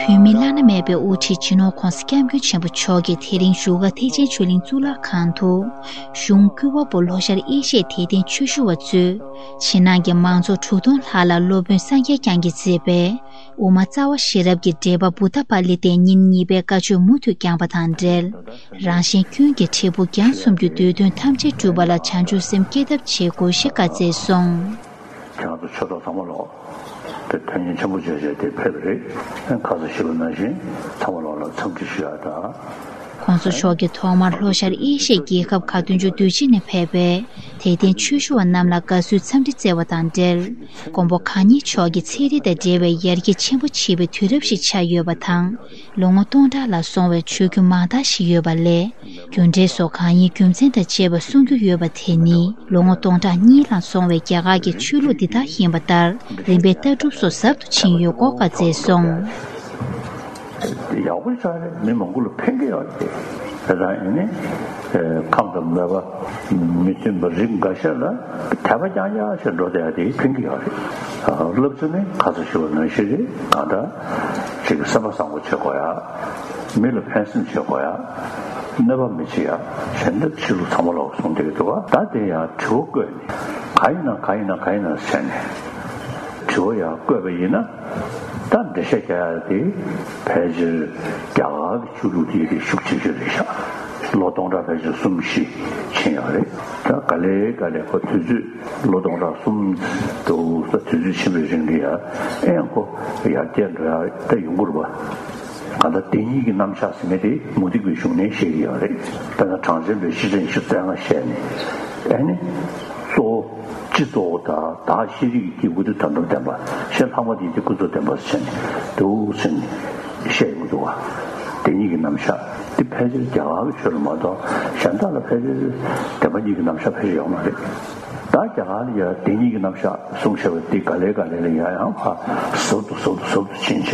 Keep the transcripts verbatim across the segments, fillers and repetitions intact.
བོད་མིའི་བླ་ན་མེད་པའི་དབུ་ཁྲིད་སྤྱི་ནོར་༧གོང་ས་༧སྐྱབས་མགོན་ཆེན་པོ་མཆོག་གིས་དེ་རིང་བཞུགས་སྒར་ཐེག་ཆེན་ཆོས་གླིང་གཙུག་ལག་ཁང་དུ། གཞུང་བཀུར་འོས་པོ་ལྷོ་ཤར་ཨེ་ཤི་ཡའི་དད་ལྡན་ཆོས་ཞུ་བ་གཙོས། ཕྱི་ནང་གི་མང་ཚོགས་དྲུག་སྟོང་ལྷག་ལ་སློབ་དཔོན་སངས་རྒྱས་བསྐྱངས་ཀྱིས་མཛད་པའི་དབུ་མ་རྩ་བ་ཤེས་རབ་ཀྱི་འགྲེལ་པ་བུདྡྷ་པཱ་ལི་ཏའི་ཉིན་གཉིས་པའི་བཀའ་ཆོས་མུ་མཐུད་བསྐྱངས་པ་དང་འབྲེལ། རང་གཞན་ཀུན་གྱི་འབྲས་བུ་རྒྱང་གསུམ་གྱི་འདོད་དོན་ཐམས་ཅད་འགྲུབ་པ་ལ་བྱང་ཆུབ་སེམས་བསྐྱེད་ཐབས་བྱེད་དགོས་ཞེས་བཀའ་སྩལ་སོང་། ཁྱེད་རང་ཚོ་ཆོས་གྲོགས་ཚང་མ་ལོག་དེ་དོན་སྙིང་ཆེན་པོ་བྱས་བྱས་དེ་ཕེབས་པ་རེད། ཁ་སང་ཞུས་པ་ནང་བཞིན་ཚང་མ་ལོག་ལ་འཚམས་འདྲི་ཞུ་ཡག་དང་། ༸གོང་ས་མཆོག་གིས་ཐོག་མར་ལྷོ་ཤར་ཨེ་ཤི་ཡའི་རྒྱལ་ཁབ་ག་བདུན་ཅུ་དོན་གཅིག་ནས་ཕེབས་པའི་དད་ལྡན་ཆོས་ཞུ་བ་རྣམས་ལ་དགའ་བསུའི་འཚམས་འདྲི་བསྩལ་བ་དང་འབྲེལ། མགོན་པོ་གང་ཉིད་མཆོག་གི་ཚན་རིག་དང་འབྲེལ་བའི་ཡར་རྒྱས་ཆེན་པོ་བྱེད་པའི་དུས་རབས་ཤིག་ཆགས་ཡོད་པ་དང་། ལོ་ངོ་སྟོང་ཕྲག་ལ་སོང་བའི་ཆོས་བརྒྱུད་མང་དག་ཞིག་ཡོད་པ་ལས། རྒྱུ་འབྲས་སོགས་གང་ཡིན་རྒྱུ་མཚན་དང་བཅས་པ་གསུང་རྒྱུ་ཡོད་པ་དེ་ནི། ལོ་ངོ་སྟོང་ཕྲག་གཉིས་ལ་སོང་བའི་རྒྱ་གར་གྱི་ཆོས་ལུགས་འདི་དག་ཡིན་པ་ལྟར། རིམ་པས་ལྟ་གྲུབ་སོགས་ཟབ་ཏུ་ཕྱིན་ཡོད་སྐོར་བཀའ་སྩལ་སོང་། ཡག་པོ་ཆགས་རེད། མི་མང་པོ་ལ་ཕན་གྱི་ཡོད་རེད། དེ་དང་ཨེ་ནི། ཁམས་དང་མོས་པ་མི་མཐུན་པ་རིགས་འགའ་ཤས་ལ་དད་པ་རྐྱང་རྐྱང་ཞིག་འགྲོ་བསྡད་ཡ་དེ་ཕན་གྱི་ཡོད་རེད། བསླབ་ཚུལ་ནི་ཁ་སང་ཞུས་པ་ནང་བཞིན་རེད། གང་ལྟར་ཅིག་སེམས་པ་བཟང་པོ་བྱེད་དགོས་ཡ། མི་ལ་ཕན་སེམས་བྱེད་དགོས་ཡ། གནོད་པ་མི་བྱེད་ཡ། གཞན་དག་ཕྱི་ལུགས་ཚང་མ་ལོག་གསུངས་བསྡད་ཀྱི་འདུག་བ། ད་དེ་ཡང་དྲི་བ་བཀོད་ནས་གང་ཡིན་ན་གང་ཡིན་ན་གང་ཡིན་ན་ཟེར་ནས་དྲི་བ་ཡང་བཀོད་པ་ཡིན་ན། ད་འགྲེལ་བཤད་རྒྱག་ཡ་དེ་ཕལ་ཆེར་རྒྱ་གར་གྱི་ཆོས་ལུགས་དེ་དེ་ཤུགས་ཆེ་ཤོས་རེད་ཤག་ལོ་སྟོང་ཕྲག་ཕལ་ཆེར་གསུམ་བཞི་ཕྱིན་ཡོད་རེད། ད་ག་ལེ་ག་ལེ་ཁོ་དུས་ཚོད་ལོ་སྟོང་ཕྲག་གསུམ་དུ་ད་དུས་ཚོད་ཕྱིན་པའི་རིང་གི་ཡ་ཨེ་ཡང་ཁོ་ཡར་རྒྱས་འགྲོ་ཡ་ད་ཡོང་གི་རེད་པ། གང་ལྟར་བདེན་གཉིས་ཀྱི་རྣམ་གཞག་ཟེར་མཁན་དེ་མུ་སྟེགས་པའི་གཞུང་ནས་བཤད་ཀྱི་ཡོད་རེད། དཔེར་ན་གྲངས་ཅན་པའི་བཤེས་སྤྲིང་བཞི་བཅུ་རྩ་ལྔ་བཤད་ནས་ཨེ་ནི་གཙོ་བོ་སྤྱི་གཙོ་བོ་དང་བདག་ཤེས་རིག་གི་སྐྱེས་བུ་དེ་དོན་དམ་བདེན་པ། གཞན་ལྷག་མ་དེ་དེ་ཀུན་རྫོབ་བདེན་པ་ཟེར་ནས་འདུག་ཟེར་ནས་བཤད་ཡོང་འདུག་བ། བདེན་གཉིས་ཀྱི་རྣམ་གཞག་དེ་ཕལ་ཆེར་རྒྱ་གར་གྱི་ཆོས་ལ་མ་གཏོགས་གཞན་དག་ལ་ཕལ་ཆེར་བདེན་པ་གཉིས་ཀྱི་རྣམ་གཞག་ཕལ་ཆེར་ཡོད་མ་རེད། ད་རྒྱ་གར་ལ་ཡང་བདེན་གཉིས་ཀྱི་རྣམ་གཞག་གསུངས་བཞག་པ་དེ་ག་ལེ་ག་ལེ་ལ་ཡང་ཡང་ཕར་ཟབ་ཏུ་ཟབ་ཏུ་ཟབ་ཏུ་ཕྱིན་བྱས་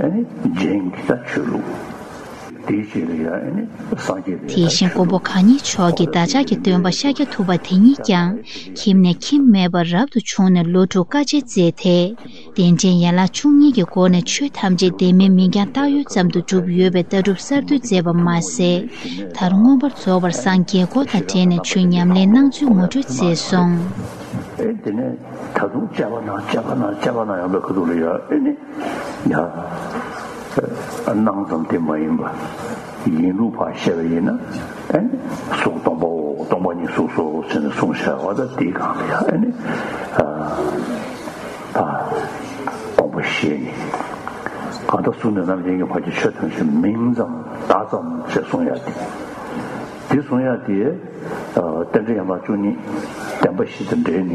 ཨེ་ནི་རྗེན་གྱི་ད་ཆོས་ལུགས། དེའི་རྗེས་ལ་ཡང་ཨེ་ནི་སངས་རྒྱས་པའི་དེ་བཞིན་མགོན་པོ་གང་ཉིད་མཆོག་གིས་བདག་ཅག་གི་སྟོན་པ་ཤཱཀྱ་ཐུབ་པ་དེ་ཉིད་ཀྱང་ཁྱིམ་ནས་ཁྱིམ་མེད་པར་རབ་ཏུ་བྱུང་ནས་ལོ་དྲུག་དཀའ་སྤྱད་མཛད་དེ། རྟེན་འབྲེལ་ཡན་ལག་བཅུ་གཉིས་ཀྱི་སྒོ་ནས་ཆོས་ཐམས་ཅད་བདེན་མིན་མིང་རྐྱང་བཏགས་ཡུལ་ཙམ་དུ་གྲུབ་ཡོད་པའི་ལྟ་གྲུབ་གསར་གཏོད་མཛད་པ་མ་ཟད། མཐར་མངོན་པར་རྫོགས་པར་སངས་རྒྱས་སྐོར་དང་འབྲེལ་ནས་ཆོས་ཉམས་ལེན་གནང་ཚུལ་ངོ་སྤྲོད་མཛད་སོང་། ཨེ་དེ་ནས་ད་དུང་དཔྱད་པ་གནང་དཔྱད་པ་གནང་དཔྱད་པ་གནང་ཡོང་པའི་ཁ་ཐུག་ལ་ཡ་ཨེ་ནི་ཡ་སྣང་ཙམ་དེ་མ་ཡིན་པ་ཡིན་ལུགས་ཕར་བཤད་པ་ཡིན་ན་ཨེ་ནི་གཟུགས་སྟོང་པའོ། སྟོང་པ་ཉིད་གཟུགས་སོ་ཟེར་ནས་གསུངས་བཞག་པ་ད་དེའི་སྒང་ལ་ཡ་ཨེ་ནི་ད་དགོངས་པ་བཞེས་ནས་གང་ལྟར་གཟུགས་ནས་རྣམ་མཁྱེན་གྱི་བར་གྱི་ཆོས་ཐམས་ཅད་མིང་ཙམ་བརྡ་ཙམ་ཞེས་གསུང་ཡ་དེ། དེ་གསུང་ཡ་དེ་རྟེན་འབྲེལ་ཡན་ལག་བཅུ་གཉིས་བདེན་པ་བཞི་དང་འབྲེལ་ནས་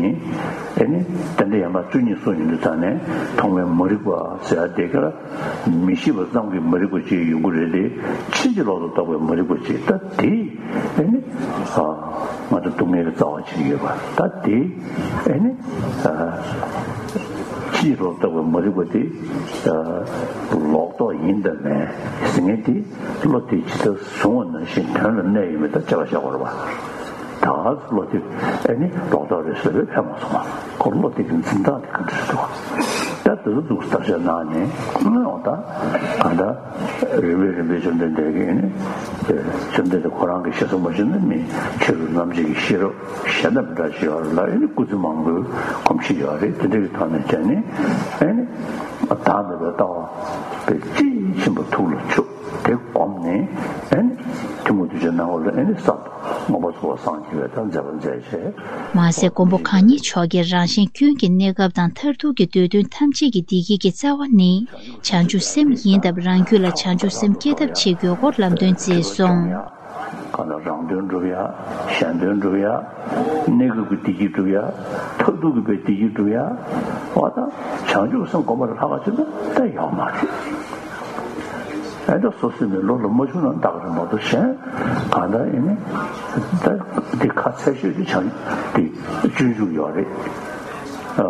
ཨེ་ནི་རྟེན་འབྲེལ་ཡན་ལག་བཅུ་གཉིས་གསུངས་ཡོང་དུས་ཙང་ནས་ཐོག་མའི་མ་རིག་པ་ཟེར་ཡ་དེ་ག་ལ་མི་ཤེས་པ་ཙམ་གྱི་མ་རིག་པ་ཅིག་ཡོང་གི་རེད་དེ། ཕྱིན་ཅི་ལོག་ཏུ་རྟོགས་པའི་མ་རིག་པ་ཅིག་ད་དེ་ཨེ་ནི་ང་ཚོ་སྡུག་བསྔལ་གྱི་རྩ་བ་ཅིག་ཡོད་པ་ད་དེ་ཨེ་ནི་ཕྱིན་ཅི་ལོག་ཏུ་རྟོགས་པའི་མ་རིག་པ་དེ་ལོག་རྟོག་ཡིན་དང་མིན་ཟེར་མཁན་དེ། བློ་དེ་ཇི་ལྟར་བཟུང་བ་ནང་བཞིན་དོན་ལ་གནས་ཡོད་མེད་ད་དཔྱད་པ་བཞག་དགོས་རེད་པ། ད་བློ་དེ་ཨེ་ནི་ལོག་རྟོག་རེད་ཟེར་བས་ཕན་མ་སོང་བ། ཁོ་བློ་དེ་གི་འཛིན་སྟངས་དེ་ག་འདྲ་རེད་འདུག་ད་དེ་ཚོ་འདུག་བརྟག་དཔྱད་གནང་ནས་ཨོ་ད་ག་འདྲ་རིམ་པས་རིམ་པས་བཅོམ་ལྡན་འདས་ཀྱིས་ཨེ་ནི་བཅོམ་ལྡན་འདས་ཁོ་རང་གི་ཞེ་ས་མ་ཞུ་ན་མི་ཕྱི་རུ་རྣམ་འབྱེད་ཀྱི་ཤེས་རབ་གཞན་དང་མི་འདྲ་ཞིག་ཡོད་རེད་ལ་ཨེ་ནི་སྐུ་ཚེ་མང་པོའི་གོམས་གཤིས་ཡོད་རེད། དེ་འདྲ་གི་ཐོག་ནས་བྱས་ནས་ཨེ་ནི་བདག་མེད་པའི་ལྟ་བ་དཔེ་དཔྱིས་ཕྱིན་པ་ཐུགས་ལ་ཆུད། དེ་བསྒོམས་ནས་ཨེ་ནི་ཐུན་མོང་དུ་བྱེད་སྣང་བ་ལ་ཨེ་ནི་གསར་དུ་མངོན་པར་རྫོགས་པར་སངས་རྒྱས་པའི་ད་མཛད་པ་མཛད་བྱས། མ་ཟད་མགོན་པོ་གང་ཉིད་མཆོག་གིས་རང་གཞན་ཀུན་གྱི་གནས་སྐབས་དང་མཐར་ཐུག་གི་འདོད་དོན་ཐམས་ཅད་ཀྱི་བདེ་སྐྱིད་ཀྱི་རྩ་བ་ནི་བྱང་ཆུབ་སེམས་ཡིན་སྟབས། རང་རྒྱུད་ལ་བྱང་ཆུབ་སེམས་བསྐྱེད་ཐབས་བྱེད་དགོས་སྐོར་ལམ་སྟོན་མཛད་སོང་། གང་ལ་རང་དོན་སྒྲུབ་ཡ། གཞན་དོན་སྒྲུབ་ཡ། གནས་སྐབས་ཀྱི་བདེ་སྐྱིད་སྒྲུབ་ཡ། མཐར་ཐུག་གི་བདེ་སྐྱིད་སྒྲུབ་ཡ། འོ་ད་བྱང་ཆུབ་སེམས་སྒོམ་པ་ལས་ལྷག་པ་ཅིག་ད་ད་ཡོད་མ་རེད། ཨེ་ད་སོ་སོའི་མི་བློ་ལ་མ་ཆུང་ན་འདག་རེད་མ་གཏོགས་གཞན་གང་ལྟར་ཡིན་ནི་ད་འདི་ཁ་ཚད་ཤོས་ཀྱི་བྱང་འདི་སྤྱོད་འཇུག་ཡོད་རེད། ཨ་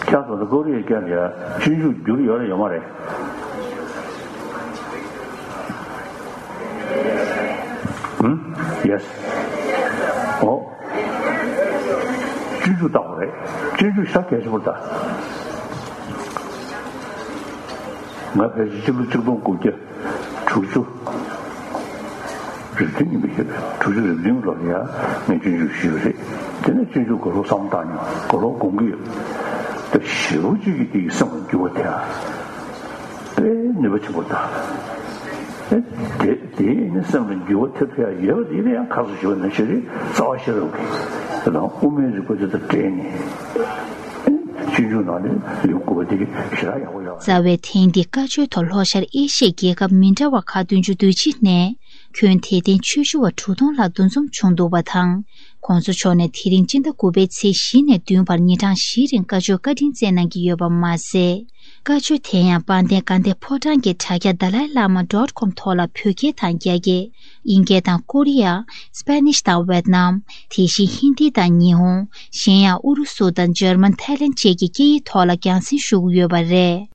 ཁྱེད་ཚོ་ལ་ཀོ་རི་ཡའི་སྐད་ལ་ཡ་སྤྱོད་འཇུག་བསྒྱུར་ཡོད་རེད་ཡོད་མ་རེད། ཨུམ། ཡེས། ཨོ། སྤྱོད་འཇུག་བཏང་བ་རེད། སྤྱོད་འཇུག་ཤ་གལ་ཆེན་པོ་རེད་ད། ང་ཕལ་ཆེར་ཕྱི་ལོ་ཆིག་སྟོང་དགུ་བརྒྱ་དྲུག་ཅུ་རེ་བདུན་ཡིན་པ་ཞིག་རེད། དྲུག་ཅུ་རེ་བདུན་ལོར་ཡང་ངས་སྤྱོད་འཇུག་ཞུས་པ་རེད། དེ་ནས་སྤྱོད་འཇུག་ག་ལོ་བསམ་བློ་བཏང་མྱོང་། ག་ལོ་དགོངས་ཀྱི་ཡོད། ད་ཞེ་པོ་ཅིག་གིས་དེ་ཡི་སེམས་ལ་འགྱུར་བ་ཐེབས། དཔེ་ནུས་པ་ཆེན་པོ་དང་། ཨེ་དེ་དེ་ནི་སེམས་ལ་འགྱུར་བ་ཐེབས་ཐུབ་ཡ་ཡོད་པ་དེ་ཡིན་ན་ཡང་ཁ་སང་ཞུས་པ་ནང་བཞིན་རེད། རྩ་བ་ཤེས་རབ་ཀྱི་དེ་དང་དབུ་མའི་རིགས་པ་དེ་དང་འབྲེལ་ནས་ཨེ་སྤྱོད་འཇུག་ནང་ནས་ལེའུ་དགུ་པ་དེ་ཞེ་དྲག་ཡག་པོ་ཡོད་རེད། རྩ་བའི་ཐེངས་འདིའི་བཀའ་ཆོས་ཐོག་ལྷོ་ཤར་ཨེ་ཤི་ཡའི་རྒྱལ་ཁབ་མི་འདྲ་བ་ཁག་བདུན་ཅུ་དོན་གཅིག་ནས་ཁྱོན་དད་ལྡན་ཆོས་ཞུ་བ་དྲུག་སྟོང་ལྷག་འདུ་འཛོམས་བྱུང་འདུག་པ་དང་། ༸གོང་ས་མཆོག་ནས་དེ་རིང་སྤྱི་ཟླ་དགུ་པའི་ཚེས་བཞི་ནས་བདུན་བར་ཉིན་གྲངས་བཞིའི་རིང་བཀའ་ཆོས་བཀའ་དྲིན་སྩལ་གནང་གི་ཡོད་པ་མ་ཟད། བཀའ་ཆོས་དེ་ཡང་དཔལ་ལྡན་དགའ་ལྡན་ཕོ་བྲང་གི་དྲ་རྒྱ་Dalai Lama dot com ཐོག་ལ་བོད་སྐད་དང་རྒྱ་སྐད། དབྱིན་སྐད་དང་ཀོ་རི་ཡ། Spanish དང་Vietnam། དེ་བཞིན་ཧིན་དི་དང་ཉི་ཧོང་། གཞན་ཡང་ཨུ་རུ་སུ་དང་འཇར་མན། ཐའི་ལེན་བཅས་ཀྱི་སྐད་ཡིག་ཐོག་ལ་རྒྱང་སྲིང་ཞུ་གི་ཡོད་པ་རེད།